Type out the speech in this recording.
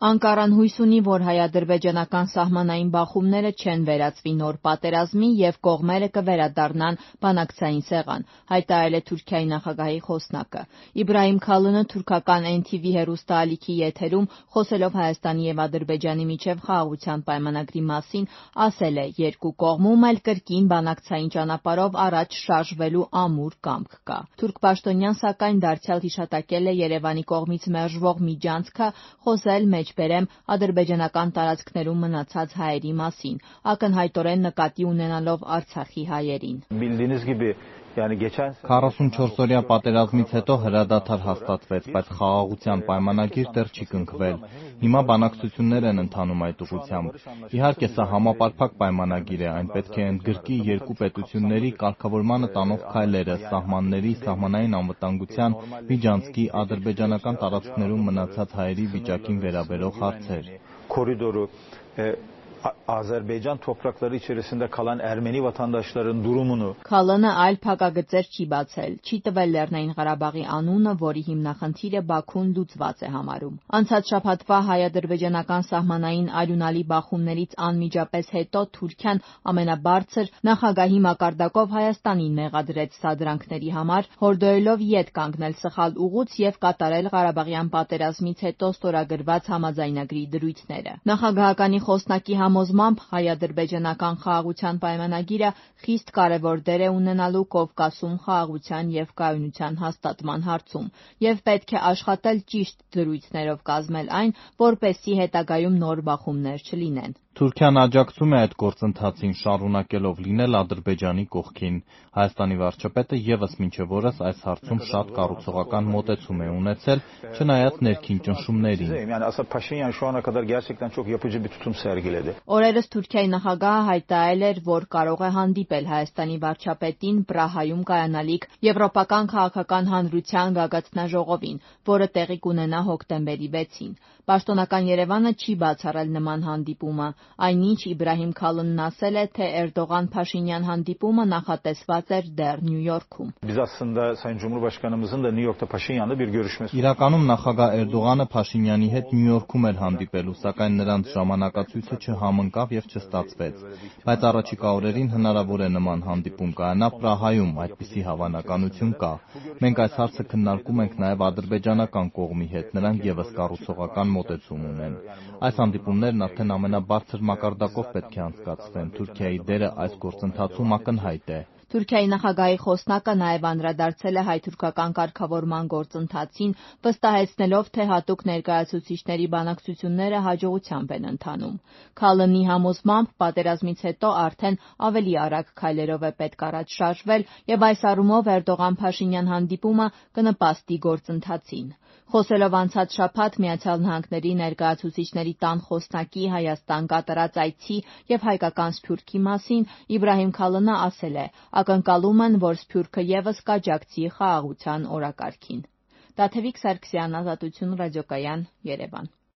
Անկարան հույս ունի, որ հայ-ադրբեջանական սահմանային բախումները չեն վերածվի նոր պատերազմի և կողմերը կվերադառնան բանակցային սեղան, հայտարարել է Թուրքիայի նախագահի խոսնակը։ Իբրահիմ Քալինը թուրքական NTV հեռուստաալիքի եթերում, խոսելով Հայաստանի և Ադրբեջանի միջև խաղաղության պայմանագրի մասին, ասել է՝ երկու կողմում էլ կրկին բանակցային ճանապարհով առաջ շարժվելու ամուր կամք կա։ Թուրք պաշտոնյան, սակայն, դարձյալ հիշատակել է Երևանի կողմից մերժվող միջանցքը խոսել մեջբերեմ ադրբեջանական տարածքներում մնացած հայերի մասին, ակնհայտորեն նկատի ունենալով Արցախի հայերին։ 44-օրյա պատերազմից հետո հրադադար հաստատվեց, բայց խաղաղության պայմանագիր դեռ չի կնքվել։ Հիմա բանակցություններ են ընթանում այդ ուղղությամբ։ Իհարկե, սա համապարփակ պայմանագիր է, այն պետք է ընդգրկի երկու պետությունների կարգավորմանը տանող քայլերը, սահմանների, սահմանային անվտանգության, միջանցքի, ադրբեջանական տարածքներում մնացած հայերի վիճակին վերաբերող հարցեր։ Azerbaycan toprakları içerisinde kalan Ermeni vatandaşların durumunu Քալինը այլ փակագծեր չի բացել, չի տվել Լեռնային Ղարաբաղի անունը, որի հիմնախնդիրը Բաքուն լուծված է համարում։ Անցած շաբաթվա հայ-ադրբեջանական սահմանային արյունալի բախումներից անմիջապես հետո Թուրքիան ամենաբարձր նախագահի մակարդակով Հայաստանին մեղադրեց սադրանքների համար, հորդորելով ետ կանգնել սխալ ուղուց և կատարել Ղարաբաղյան պատերազմից հետո ստորագրված համաձայնագրի դրույթները։ Նախագահականի խոսնակի համոզմամբ հայ-ադրբեջանական խաղաղության պայմանագիրը խիստ կարևոր դեր է ունենալու Կովկասում խաղաղության և կայունության հաստատման հարցում և պետք է աշխատել ճիշտ դրույթներով կազմել այն, որպեսզի հետագայում նոր բախումներ չլինեն։ Թուրքիան աջակցում է այդ գործընթացին, շարունակելով լինել Ադրբեջանի կողքին։ Հայաստանի վարչապետը ևս մինչև օրս այս հարցում շատ կառուցողական մոտեցում է ունեցել, չնայած ներքին ճնշումներին։ Օրերս Թուրքիայի նախագահը հայտարարել էր, որ կարող է հանդիպել Հայաստանի վարչապետին Պրահայում կայանալիք Եվրոպական քաղաքական հանրության գագաթնաժողովին, որը տեղի կունենա հոկտեմբերի 6-ին։ Պաշտոնական Երևանը չի բացառել նման հանդիպումը, այնինչ Իբրահիմ Քալինն ասել է, թե Էրդողան-Փաշինյան հանդիպումը նախատեսված էր դեռ Նյու Յորքում։ Իրականում նախագահ Էրդողանը Փաշինյանի հետ Նյու Յորքում էր հանդիպելու, սակայն նրանց ժամանակացույցը չհամընկավ և չստացվեց։ Բայց առաջիկա օրերին հնարավոր է նման հանդիպում կայանա Պրահայում, այդպիսի հավանականություն կա։ Մենք այս հարցը քննարկում ենք նաև ադրբեջանական կողմի հետ, նրանք ևս կառուցողական մոտեցում ունեն։ Այս հանդիպումներն արդեն ամենաբարձր մակարդակով պետք է անցկացվեն։ Թուրքիայի դերը այս գործընթացում ակնհայտ է։ Թուրքիայի նախագահի խոսնակը նաև անդրադարձել է հայ-թուրքական կարգավորման գործընթացին, վստահեցնելով, թե հատուկ ներկայացուցիչների բանակցությունները հաջողությամբ են ընթանում։ Քալինի համոզմամբ պատերազմից հետո արդեն ավելի արագ քայլերով է պետք առաջ շարժվել և այս առումով Էրդողան-Փաշինյան հանդիպումը կնպաստի գործընթացին։ Խոսելով անցած շաբաթ ԱՄՆ ներկայացուցիչների տան խոսնակի Հայաստան կատարած այցի և հայկական Սփյուռքի մասին, Իբրահիմ Քալինը ասել է՝ ակնկալում են, որ Սփյուռքը ևս կաջակցի խաղաղության օրակարգին։ Տաթևիկ Սարգսյան, Ազատություն ռադիոկայան, Երևան։